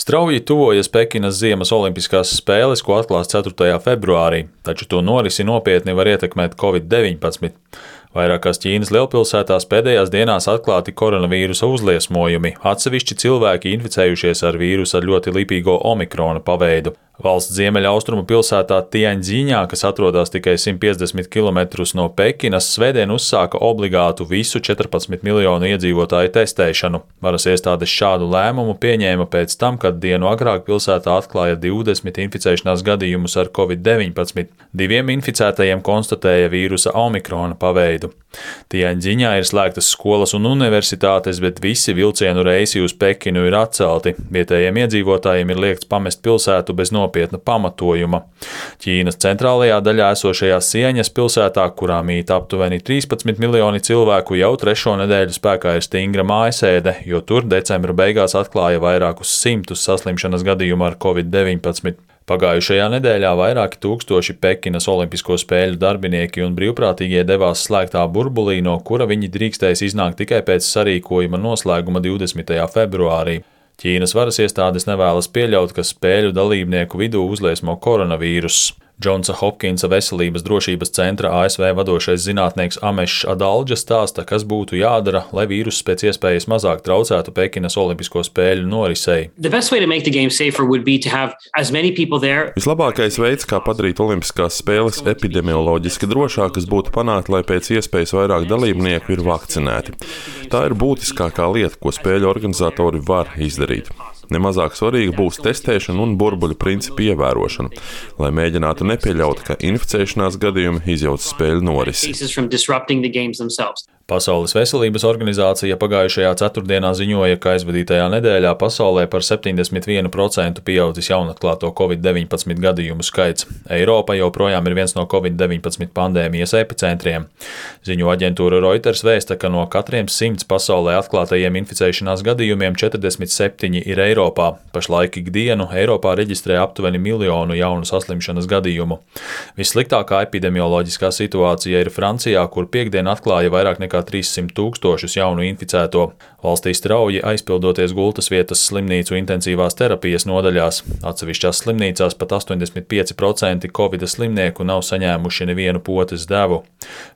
Strauji tuvojas Pekinas ziemas olimpiskās spēles, ko atklās 4. februārī, taču to norisi nopietni var ietekmēt Covid-19. Vairākās Ķīnas lielpilsētās pēdējās dienās atklāti koronavīrusa uzliesmojumi, atsevišķi cilvēki inficējušies ar vīrusu ar ļoti lipīgo omikrona paveidu. Valsts ziemeļaustrumu pilsētā Tianģiņā, kas atrodas tikai 150 km no Pekinas, svētdien uzsāka obligātu visu 14 miljonu iedzīvotāju testēšanu. Varas iestādes šādu lēmumu pieņēma pēc tam, kad dienu agrāk pilsētā atklāja 20 inficēšanās gadījumus ar Covid-19. 2 inficētajiem konstatēja vīrusa omikrona paveidu. Tianģiņā ir slēgtas skolas un universitātes, bet visi vilcienu reisi uz Pekinu ir atcelti. Vietējiem iedzīvotājiem ir liegts pamest pilsētu bez nopietna pamatojuma. Ķīnas centrālajā daļā esošajā Sieņas pilsētā, kurā mīt aptuveni 13 miljoni cilvēku, jau 3. nedēļu spēkā ir stingra mājasēde, jo tur decembra beigās atklāja vairākus simtus saslimšanas gadījumu ar Covid-19. Pagājušajā nedēļā vairāki tūkstoši Pekinas olimpisko spēļu darbinieki un brīvprātīgie devās slēgtā burbulī, no kura viņi drīkstēs iznākt tikai pēc sarīkojuma noslēguma 20. februārī. Ķīnas varas iestādes nevēlas pieļaut, ka spēļu dalībnieku vidū uzliesmo koronavīruss. Džonsa Hopkinsa veselības drošības centra ASV vadošais zinātnieks Amešs Adalģa stāsta, kas būtu jādara, lai vīruss pēc iespējas mazāk traucētu Pekinas olimpisko spēļu norisei. Vislabākais veids, kā padarīt olimpiskās spēles epidemioloģiski drošākas, būtu panākt, lai pēc iespējas vairāk dalībnieku ir vakcinēti. Tā ir būtiskākā lieta, ko spēļu organizatori var izdarīt. Nemazāk svarīga būs testēšana un burbuļu principu ievērošana, lai mēģinātu nepieļaut, ka inficēšanās gadījumi izjauc spēļu norisi. Pasaules veselības organizācija pagājušajā ceturtdienā ziņoja, ka aizvadītajā nedēļā pasaulē par 71% pieaudzis jaunatklāto Covid-19 gadījumu skaits. Eiropa joprojām ir viens no Covid-19 pandēmijas epicentriem. Ziņu aģentūra Reuters vēsta, ka no katriem 100 pasaulē atklātajiem inficēšanās gadījumiem 47 ir Eiropā. Pašlaik ikdienu Eiropā reģistrē aptuveni 1 miljonu jaunu saslimšanas gadījumu. Vissliktākā epidemioloģiskā situācija ir Francijā, kur piektdien atklāja vairāk nekā 300 000 jaunu inficēto. Valstī strauji aizpildoties gultas vietas slimnīcu intensīvās terapijas nodaļās. Atsevišķās slimnīcās pat 85% Covid slimnieku nav saņēmuši nevienu potes devu.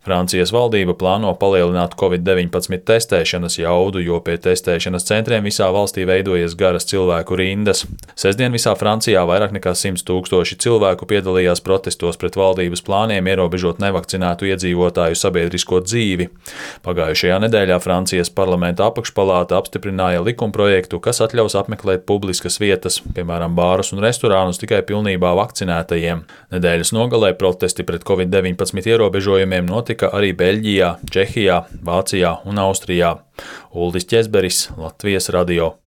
Francijas valdība plāno palielināt Covid-19 testēšanas jaudu, jo pie testēšanas centriem visā valstī veidojas garas cilvēku rindas. Sestdien visā Francijā vairāk nekā 100 000 cilvēku piedalījās protestos pret valdības plāniem ierobežot nevakcinētu iedzīvotāju sabiedrisko dzīvi. Pagājušajā nedēļā Francijas parlamenta apakšpalāta apstiprināja likumprojektu, kas atļaus apmeklēt publiskas vietas, piemēram, bārus un restorānus tikai pilnībā vakcinētajiem. Nedēļas nogalē protesti pret Covid-19 ierobežojumiem notika arī Beļģijā, Čehijā, Vācijā un Austrijā. Uldis Ķezberis, Latvijas radio.